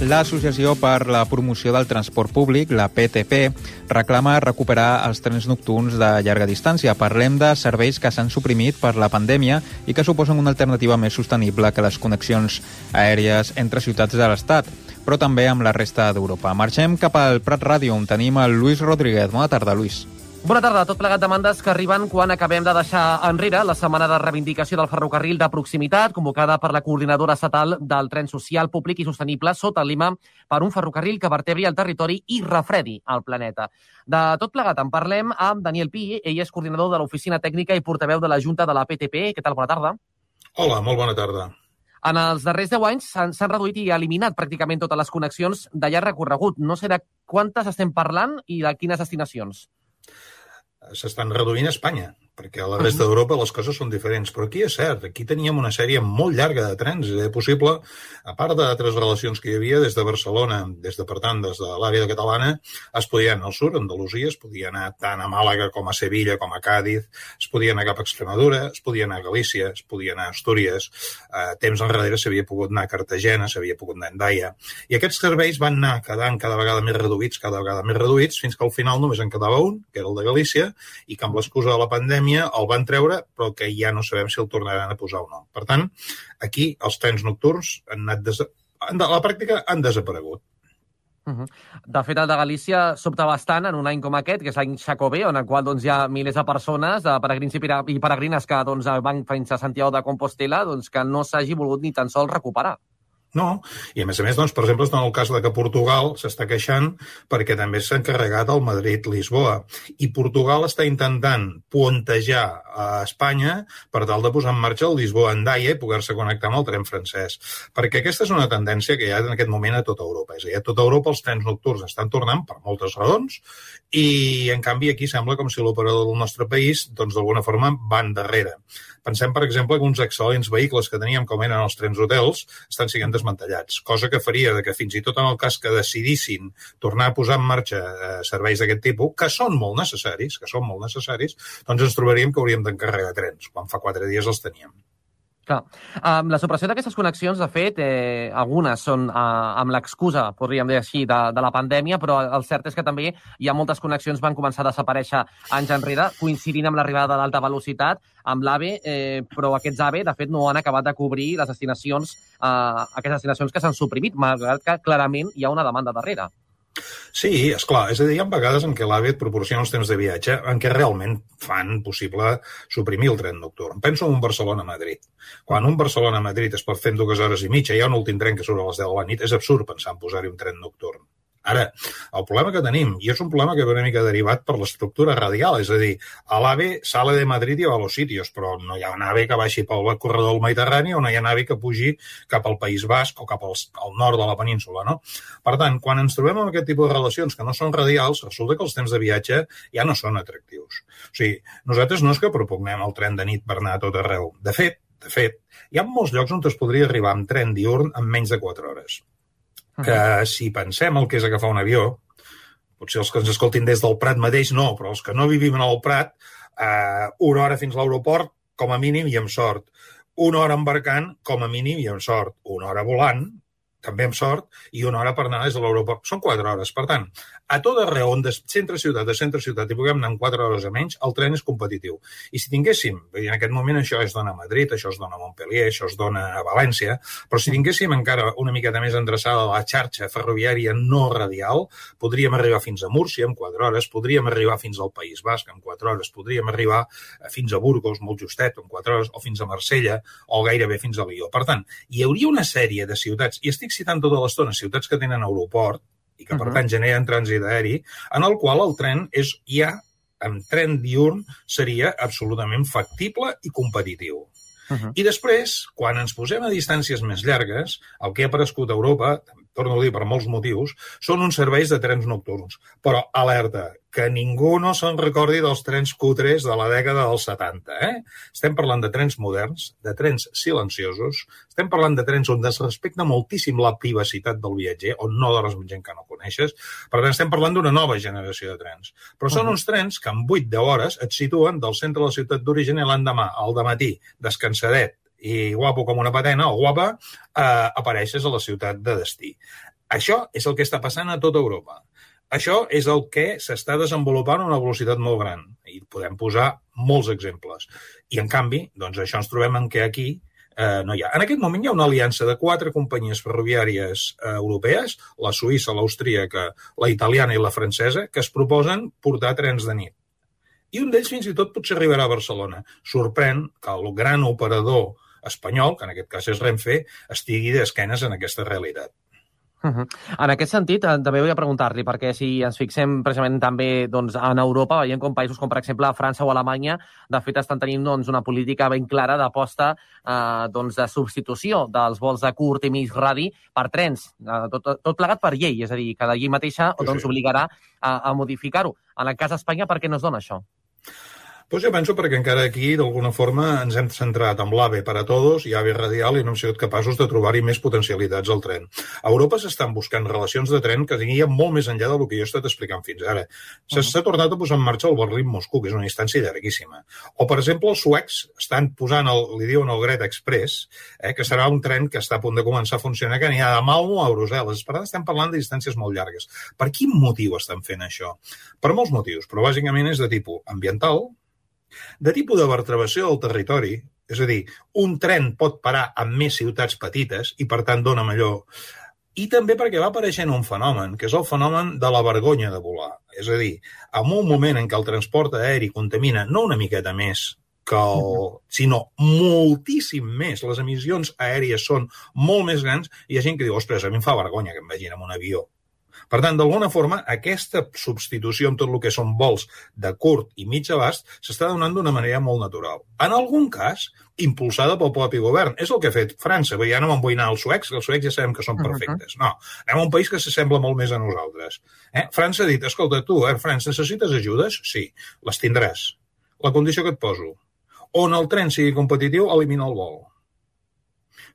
L'Associació per la Promoció del Transport Públic, la PTP, reclama recuperar els trens nocturns de llarga distància. Parlem de serveis que s'han suprimit per la pandèmia i que suposen una alternativa més sostenible que les connexions aèries entre ciutats de l'Estat, però també amb la resta d'Europa. Marxem cap al Prat Ràdio, on tenim el Lluís Rodríguez. Bona tarda, Lluís. Bona tarda. Tot plegat demandes que arriben quan acabem de deixar enrere la setmana de reivindicació del ferrocarril de proximitat, convocada per la Coordinadora Estatal del Tren Social, Públic i Sostenible sota el lema per un ferrocarril que vertebri el territori i refredi el planeta. De tot plegat en parlem amb Daniel Pi. Ell és coordinador de l'Oficina Tècnica i portaveu de la Junta de la PTP. Què tal? Bona tarda. Hola, molt bona tarda. En els darrers 10 anys s'han reduït i eliminat pràcticament totes les connexions de llarg recorregut. No sé de quantes estem parlant i de quines destinacions. S'estan reduint a Espanya, perquè a la resta d'Europa les coses són diferents. Però aquí és cert, aquí teníem una sèrie molt llarga de trens. Era possible, a part d'altres relacions que hi havia des de Barcelona, des de l'àrea catalana, es podia anar al sud, a Andalusia, es podia anar tant a Màlaga com a Sevilla, com a Càdiz, es podia anar cap a Extremadura, es podia anar a Galícia, es podia anar a Astúries. Temps enrere s'havia pogut anar a Cartagena, s'havia pogut anar a Endaia. I aquests serveis van anar quedant cada vegada més reduïts, fins que al final només en quedava un, que era el de Galícia, i que amb l'excusa de la pandèmia el van treure, però que ja no sabem si el tornaran a posar o no. Per tant, aquí els trens nocturns a la pràctica han desaparegut. De fet, el de Galícia sobta bastant en un any com aquest, que és l'any Xacobé, on el qual hi ha milers de persones, de peregrins i peregrines que van fins a Santiago de Compostela, que no s'hagi volgut ni tan sols recuperar. No, i a més, per exemple, en el cas que Portugal s'està queixant perquè també s'ha encarregat el Madrid-Lisboa. I Portugal està intentant pontejar a Espanya per tal de posar en marxa el Lisboa-Endaia i poder-se connectar amb el tren francès. Perquè aquesta és una tendència que hi ha en aquest moment a tota Europa. És a dir, a tota Europa els trens nocturns estan tornant per moltes raons i, en canvi, aquí sembla com si l'operador del nostre país, d'alguna forma, van darrere. Pensem, per exemple, que uns excel·lents vehicles que teníem, com eren els trens hotels, estan sent desmantellats, cosa que faria que fins i tot en el cas que decidissin tornar a posar en marxa serveis d'aquest tipus, que són molt necessaris, doncs ens trobaríem que hauríem d'encarregar trens, quan fa 4 dies els teníem. Clar. La supressió d'aquestes connexions, de fet, algunes són amb l'excusa, podríem dir així, de la pandèmia, però el cert és que també hi ha moltes connexions que van començar a desaparèixer anys enrere, coincidint amb l'arribada de l'alta velocitat, amb l'AVE, però aquests AVE, de fet, no han acabat de cobrir les destinacions, aquestes destinacions que s'han suprimit, malgrat que clarament hi ha una demanda darrere. Sí, esclar. És a dir, hi ha vegades en què l'AVE et proporciona els temps de viatge en què realment fan possible suprimir el tren nocturn. Penso en un Barcelona-Madrid. Quan un Barcelona-Madrid es pot fer en 2 hores i mitja, hi ha un últim tren que surt a les 10 de la nit, és absurd pensar en posar-hi un tren nocturn. Ara, el problema que tenim, i és un problema que ve una mica derivat per l'estructura radial, és a dir, a l'AVE sale de Madrid i va a los sitios, però no hi ha un AVE que baixi pel corredor del Mediterrani o no hi ha un AVE que pugi cap al País Basc o cap al nord de la península, no? Per tant, quan ens trobem amb aquest tipus de relacions que no són radials, resulta que els temps de viatge ja no són atractius. O sigui, nosaltres no és que propugnem el tren de nit per anar a tot arreu. De fet, hi ha molts llocs on es podria arribar amb tren diürn en menys de 4 hores. Que si pensem el que és agafar un avió, potser els que ens escoltin des del Prat mateix no, però els que no vivim al Prat, 1 hora fins a l'aeroport, com a mínim i amb sort. 1 hora embarcant, com a mínim i amb sort. 1 hora volant, també amb sort, i 1 hora per anar des de l'aeroport. Són 4 hores. Per tant, a tot arreu on de centre-ciutat i puguem anar en 4 hores a menys, el tren és competitiu. I si tinguéssim, en aquest moment això es dona a Madrid, això es dona a Montpellier, això es dona a València, però si tinguéssim encara una miqueta més endreçada la xarxa ferroviària no radial, podríem arribar fins a Múrcia en 4 hores, podríem arribar fins al País Basc en 4 hores, podríem arribar fins a Burgos, molt justet, en 4 hores, o fins a Marsella, o gairebé fins a Lió. Per tant, hi hauria una sèrie de ciutats, i estic citant tota l'estona ciutats que tenen aeroport, i que, per tant, generen trànsit aeri, en el qual el tren amb tren diürn seria absolutament factible i competitiu. I després, quan ens posem a distàncies més llargues, el que ha aparegut a Europa, torno a dir per molts motius, són uns serveis de trens nocturns. Però, alerta, que ningú no se'n recordi dels trens cutres de la dècada dels 70. Estem parlant de trens moderns, de trens silenciosos, estem parlant de trens on es respecta moltíssim la privacitat del viatger, on no dorms amb gent que no coneixes. Per tant, estem parlant d'una nova generació de trens. Però són uns trens que en 8-10 hores et situen del centre de la ciutat d'origen i l'endemà, al dematí, descansadet i guapo com una patena, o guapa, apareixes a la ciutat de destí. Això és el que està passant a tota Europa. Això és el que s'està desenvolupant a una velocitat molt gran. I podem posar molts exemples. I, en canvi, doncs això ens trobem en què aquí no hi ha. En aquest moment hi ha una aliança de 4 companyies ferroviàries europees, la suïssa, l'austríaca, la italiana i la francesa, que es proposen portar trens de nit. I un d'ells fins i tot potser arribarà a Barcelona. Sorprèn que el gran operador espanyol, que en aquest cas és Renfe, estigui d'esquenes en aquesta realitat. En aquest sentit, també volia preguntar-li, perquè si ens fixem precisament també en Europa, veiem com països com, per exemple, França o Alemanya, de fet, estan tenint una política ben clara d'aposta de substitució dels vols de curt i mig radi per trens, tot plegat per llei, és a dir, que la llei mateixa obligarà a modificar-ho. En el cas d'Espanya, per què no es dona això? Doncs jo penso perquè encara aquí, d'alguna forma, ens hem centrat en l'AVE per a tots i AVE radial i no hem sigut capaços de trobar-hi més potencialitats al tren. A Europa s'estan buscant relacions de tren que tinguin molt més enllà del que jo he estat explicant fins ara. S'ha tornat a posar en marxa el Berlín-Moscou, que és una distància llarguíssima. O, per exemple, els suecs estan posant, li diuen el Greta Express, que serà un tren que està a punt de començar a funcionar, que anirà de Malmö a Brussel·les. Per tant, estem parlant de distàncies molt llargues. Per quin motiu estan fent això? Per molts motius, però bàsicament és de tipus ambiental, de tipus de vertebració del territori, és a dir, un tren pot parar en més ciutats petites i, per tant, dona millor. I també perquè va apareixent un fenomen, que és el fenomen de la vergonya de volar. És a dir, en un moment en què el transport aeri contamina no una miqueta més, sinó moltíssim més. Les emissions aèries són molt més grans i hi ha gent que diu, ostres, a mi em fa vergonya que em vegin en un avió. Per tant, d'alguna forma, aquesta substitució amb tot el que són vols de curt i mig abast s'està donant d'una manera molt natural. En algun cas, impulsada pel propi govern. És el que ha fet França. Ja no m'en vull anar als suecs, que els suecs ja sabem que són perfectes. No, anem a un país que s'assembla molt més a nosaltres. França ha dit, escolta, tu, France, necessites ajudes? Sí, les tindràs. La condició que et poso. On el tren sigui competitiu, elimina el vol.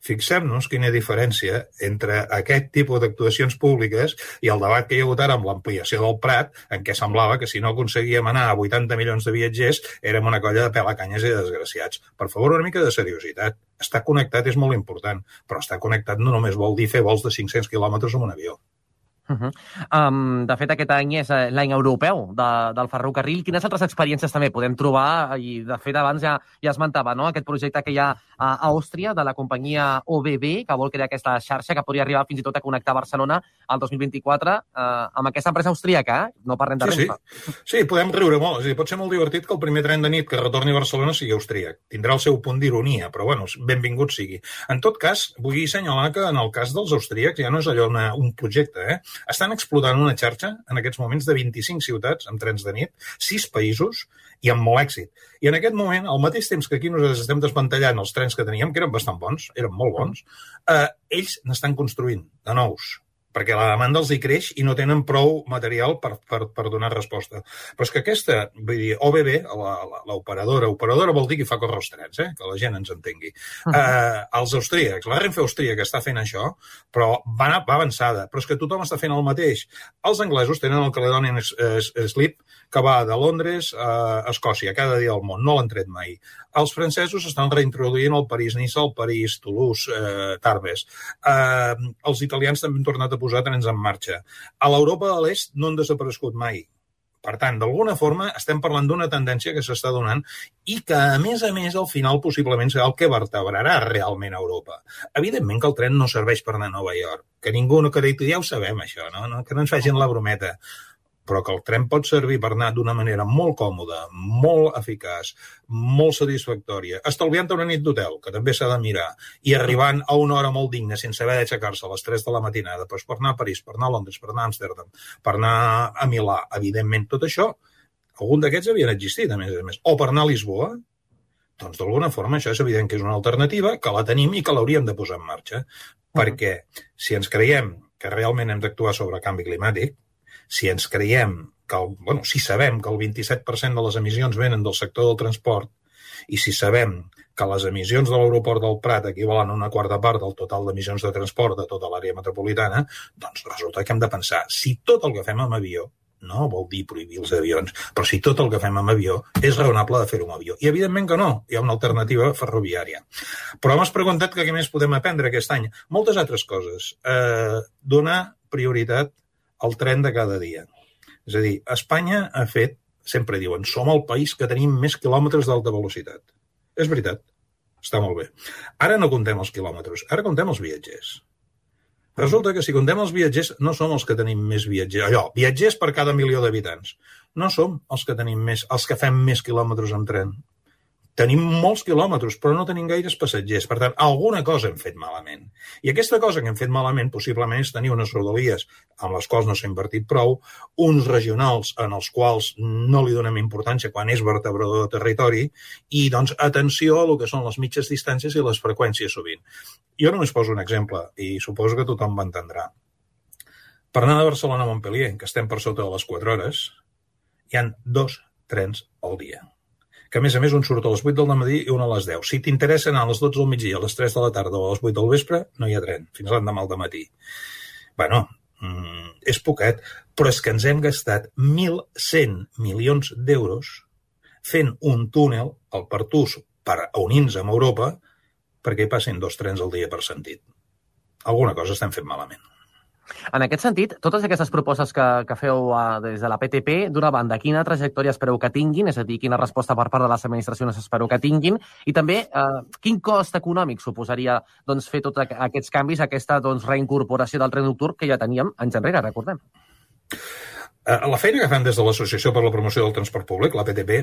Fixem-nos quina diferència entre aquest tipus d'actuacions públiques i el debat que hi ha hagut ara amb l'ampliació del Prat, en què semblava que si no aconseguíem anar a 80 milions de viatgers érem una colla de pelacanyes i de desgraciats. Per favor, una mica de seriositat. Estar connectat és molt important, però estar connectat no només vol dir fer vols de 500 quilòmetres amb un avió. De fet, aquest any és l'any europeu del ferrocarril. Quines altres experiències també podem trobar? I, de fet, abans ja esmentava aquest projecte que hi ha a Àustria de la companyia OBB, que vol crear aquesta xarxa que podria arribar fins i tot a connectar Barcelona al 2024 amb aquesta empresa austríaca, no parlem de Renfe. Sí, podem riure molt. És a dir, pot ser molt divertit que el primer tren de nit que retorni a Barcelona sigui austríac. Tindrà el seu punt d'ironia, però, bueno, benvingut sigui. En tot cas, vull assenyalar que en el cas dels austríacs ja no és allò un projecte, estan explotant una xarxa en aquests moments de 25 ciutats amb trens de nit, 6 països i amb molt èxit. I en aquest moment, al mateix temps que aquí nosaltres estem desmantellant els trens que teníem, que eren bastant bons, eren molt bons, ells n'estan construint de nous, perquè la demanda els hi creix i no tenen prou material per donar resposta. Però és que aquesta, vull dir, OBB, l'operadora vol dir que fa córrer els trens, que la gent ens entengui. Els austríacs, la Renfe austríaca està fent això, però va avançada, però és que tothom està fent el mateix. Els anglesos tenen el Caledonian Slip, que va de Londres a Escòcia, cada dia del món, no l'han tret mai. Els francesos estan reintroduint el París-Niça, el París-Toulouse, Tarbes. Els italians també han tornat a posar trens en marxa. A l'Europa de l'Est no han desaparegut mai. Per tant, d'alguna forma, estem parlant d'una tendència que s'està donant i que, a més, al final, possiblement serà el que vertebrarà realment Europa. Evidentment que el tren no serveix per anar a Nova York, que ningú no acrediti, ja ho sabem, això, no? Que no ens facin la brometa. Però que el tren pot servir per anar d'una manera molt còmoda, molt eficaç, molt satisfactòria, estalviant una nit d'hotel, que també s'ha de mirar, i arribant a una hora molt digna, sense haver d'aixecar-se a les 3 de la matinada, doncs per anar a París, per anar a Londres, per anar a Amsterdam, per anar a Milà, evidentment, tot això, algun d'aquests havien existit, a més. O per anar a Lisboa, doncs d'alguna forma això és evident que és una alternativa, que la tenim i que l'hauríem de posar en marxa, perquè si ens creiem que realment hem d'actuar sobre canvi climàtic, si ens creiem que, si sabem que el 27% de les emissions venen del sector del transport i si sabem que les emissions de l'aeroport del Prat equivalen a una quarta part del total d'emissions de transport de tota l'àrea metropolitana, doncs resulta que hem de pensar si tot el que fem amb avió, no vol dir prohibir els avions, però si tot el que fem amb avió és raonable de fer-ho amb avió. I evidentment que no, hi ha una alternativa ferroviària. Però m'has preguntat que què més podem aprendre aquest any. Moltes altres coses. Donar prioritat el tren de cada dia. És a dir, Espanya ha fet, sempre diuen, som el país que tenim més quilòmetres d'alta velocitat. És veritat, està molt bé. Ara no comptem els quilòmetres, ara comptem els viatgers. Resulta que si comptem els viatgers, no som els que tenim més viatgers. Viatgers per cada 1 milió d'habitants. No som els que tenim més, els que fem més quilòmetres en tren. Tenim molts quilòmetres, però no tenim gaires passatgers. Per tant, alguna cosa hem fet malament. I aquesta cosa que hem fet malament possiblement és tenir unes rodalies amb les quals no s'ha invertit prou, uns regionals en els quals no li donem importància quan és vertebrador de territori i, doncs, atenció a el que són les mitges distàncies i les freqüències sovint. Jo només poso un exemple i suposo que tothom m'entendrà. Per anar de Barcelona a Montpellier, que estem per sota de les 4 hores, hi ha 2 trens al dia. Que, a més, un surt a les 8 del matí i un a les 10. Si t'interessa anar a les 12 del migdia, a les 3 de la tarda o a les 8 del vespre, no hi ha tren, fins l'endemà al matí. Bueno, és poquet, però és que ens hem gastat 1.100 milions d'euros fent un túnel, el Pertús, per unir-nos amb Europa, perquè hi passin 2 trens al dia per sentit. Alguna cosa estem fent malament. En aquest sentit, totes aquestes propostes que feu des de la PTP, d'una banda, quina trajectòria espereu que tinguin, és a dir, quina resposta per part de les administracions espereu que tinguin, i també quin cost econòmic suposaria fer tots aquests canvis, aquesta reincorporació del tren nocturn que ja teníem anys enrere, recordem. La feina que fem des de l'Associació per la Promoció del Transport Públic, la PTP,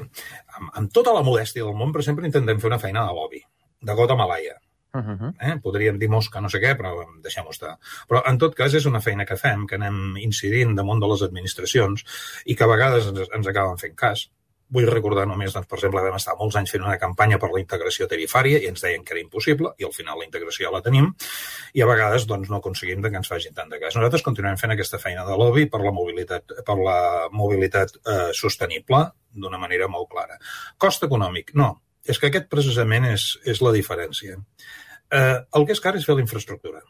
amb tota la modèstia del món, però sempre intentem fer una feina de lobby, de gota malaia. Podríem dir mosca no sé què, però deixem-ho estar. Però en tot cas és una feina que fem, que anem incidint damunt de les administracions i que a vegades ens acaben fent cas. Vull recordar només, doncs, per exemple, vam estar molts anys fent una campanya per la integració tarifària i ens deien que era impossible i al final la integració ja la tenim i a vegades doncs, no aconseguim que ens facin tant de cas. Nosaltres continuem fent aquesta feina de lobby per la mobilitat sostenible d'una manera molt clara. Cost econòmic, no. És que aquest precisament és la diferència. El que és car és fer la infraestructura.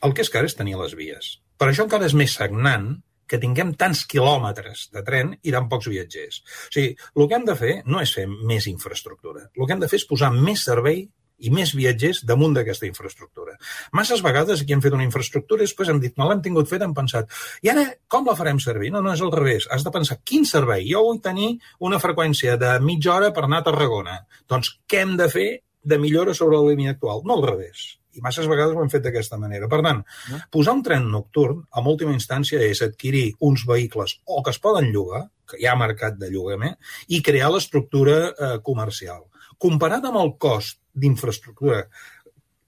El que és car és tenir les vies. Per això encara és més sagnant que tinguem tants quilòmetres de tren i tan pocs viatgers. O sigui, el que hem de fer no és fer més infraestructura. El que hem de fer és posar més servei i més viatgers damunt d'aquesta infraestructura. Masses vegades aquí hem fet una infraestructura i després hem dit, no l'hem tingut fet, hem pensat, i ara com la farem servir? No, és al revés. Has de pensar, quin servei? Jo vull tenir una freqüència de mitja hora per anar a Tarragona. Doncs què hem de fer de millora sobre la línia actual? No al revés. I masses vegades ho hem fet d'aquesta manera. Per tant, posar un tren nocturn, en última instància, és adquirir uns vehicles o que es poden llogar, que hi ha mercat de llogament, i crear l'estructura comercial. Comparat amb el cost d'infraestructura,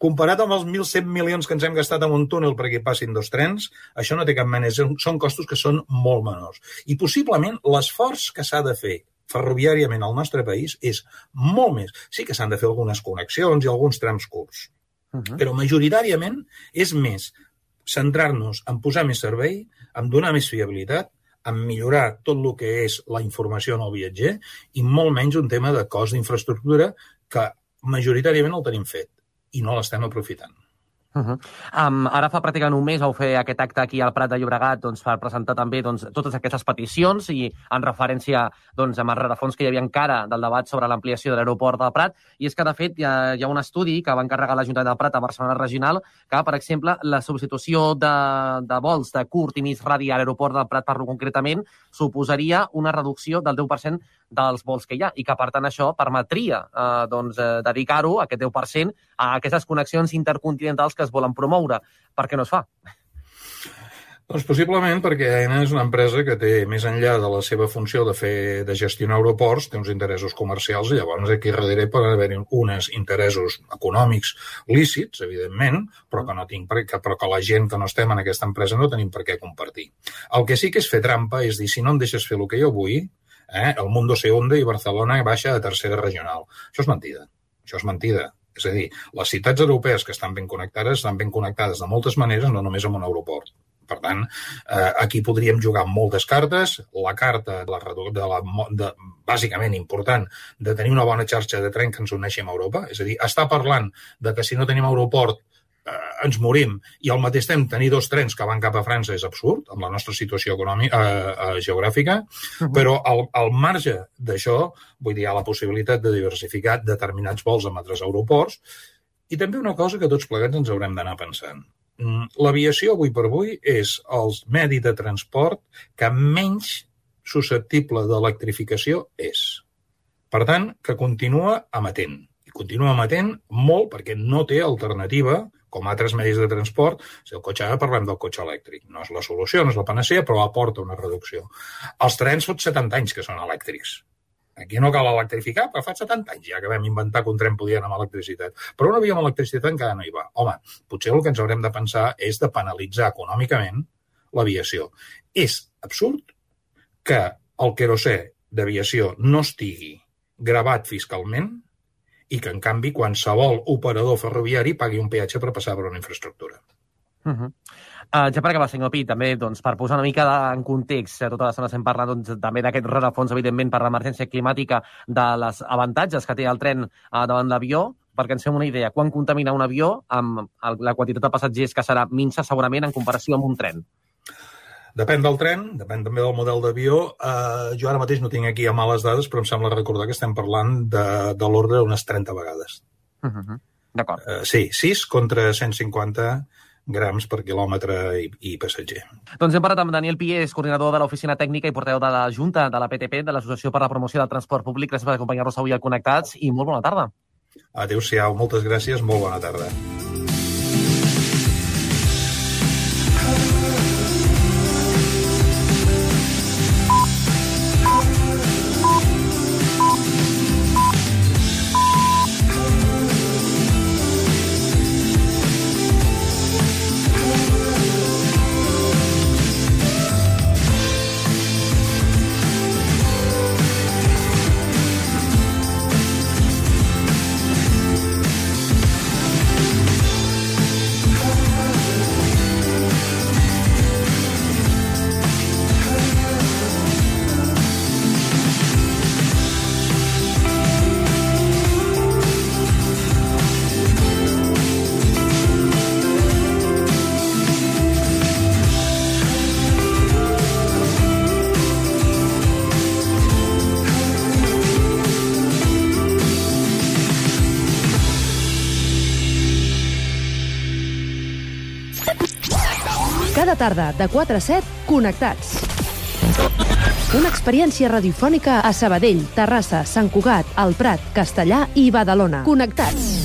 comparat amb els 1.100 milions que ens hem gastat en un túnel perquè hi passin 2 trens, això no té cap mena. Són costos que són molt menors. I possiblement l'esforç que s'ha de fer ferroviàriament al nostre país és molt més. Sí que s'han de fer algunes connexions i alguns trams curts, però majoritàriament és més centrar-nos en posar més servei, en donar més fiabilitat, en millorar tot el que és la informació en el viatger i molt menys un tema de cost d'infraestructura que majoritàriament el tenim fet i no l'estem aprofitant. Ara fa pràcticament un mes vau fer aquest acte aquí al Prat de Llobregat per presentar també totes aquestes peticions i en referència amb el rerefons que hi havia encara del debat sobre l'ampliació de l'aeroport del Prat. I és que, de fet, hi ha un estudi que va encarregar l'Ajuntament del Prat a Barcelona Regional que, per exemple, la substitució de vols de curt i mig radi a l'aeroport del Prat, parlo concretament, suposaria una reducció del 10% dels vols que hi ha i que, per tant, això permetria dedicar-ho, aquest 10%, a aquestes connexions intercontinentals que es volen promoure. Per què no es fa? Doncs possiblement perquè Aena és una empresa que té, més enllà de la seva funció de gestionar aeroports, té uns interessos comercials i llavors aquí darrere poden haver uns interessos econòmics lícits, evidentment, però que la gent que no estem en aquesta empresa no tenim per què compartir. El que sí que és fer trampa és dir, si no em deixes fer el que jo vull, el mundo se hunde i Barcelona baixa a tercera regional. Això és mentida. Això és mentida. És a dir, les ciutats europees que estan ben connectades de moltes maneres, no només amb un aeroport. Per tant, aquí podríem jugar amb moltes cartes. La carta, bàsicament important, de tenir una bona xarxa de tren que ens uneixi amb Europa. És a dir, està parlant de que si no tenim aeroport ens morim i al mateix temps tenir 2 trens que van cap a França és absurd, amb la nostra situació geogràfica, però al marge d'això, vull dir, hi ha la possibilitat de diversificar determinats vols amb altres aeroports i també una cosa que tots plegats ens haurem d'anar pensant. l'aviació avui per avui és el medi de transport que menys susceptible d'electrificació és. Per tant, que continua emetent. I continua emetent molt perquè no té alternativa, com altres medis de transport. Si el cotxe, ara parlem del cotxe elèctric. No és la solució, no és la panacea, però aporta una reducció. Els trens fa 70 anys que són elèctrics. Aquí no cal electrificar, però fa 70 anys ja que vam inventar que un tren podia anar amb electricitat. Però un avió amb electricitat encara no hi va. Home, potser el que ens haurem de pensar és de penalitzar econòmicament l'aviació. És absurd que el querosè d'aviació no estigui gravat fiscalment i que, en canvi, qualsevol operador ferroviari pagui un peatge per passar per una infraestructura. Ja per acabar, senyor Pi, també per posar una mica en context, tota l'estona estem parlant també d'aquest rerefons, evidentment, per l'emergència climàtica, de les avantatges que té el tren davant l'avió, perquè ens fem una idea. Quan contamina un avió amb la quantitat de passatgers que serà minsa, segurament, en comparació amb un tren? Depèn del tren, depèn també del model d'avió. Jo ara mateix no tinc aquí a mà les dades, però em sembla recordar que estem parlant de l'ordre d'unes 30 vegades. D'acord. Sí, 6 contra 150 grams per quilòmetre i passatger. Doncs hem parlat amb Daniel Piés, coordinador de l'Oficina Tècnica i portaveu de la Junta de la PTP, de l'Associació per la Promoció del Transport Públic. Gràcies per acompanyar-nos avui al Connectats i molt bona tarda. Adéu-siau, moltes gràcies, molt bona tarda. Cada tarda, de 4 a 7, Connectats. Una experiència radiofònica a Sabadell, Terrassa, Sant Cugat, El Prat, Castellà i Badalona. Connectats.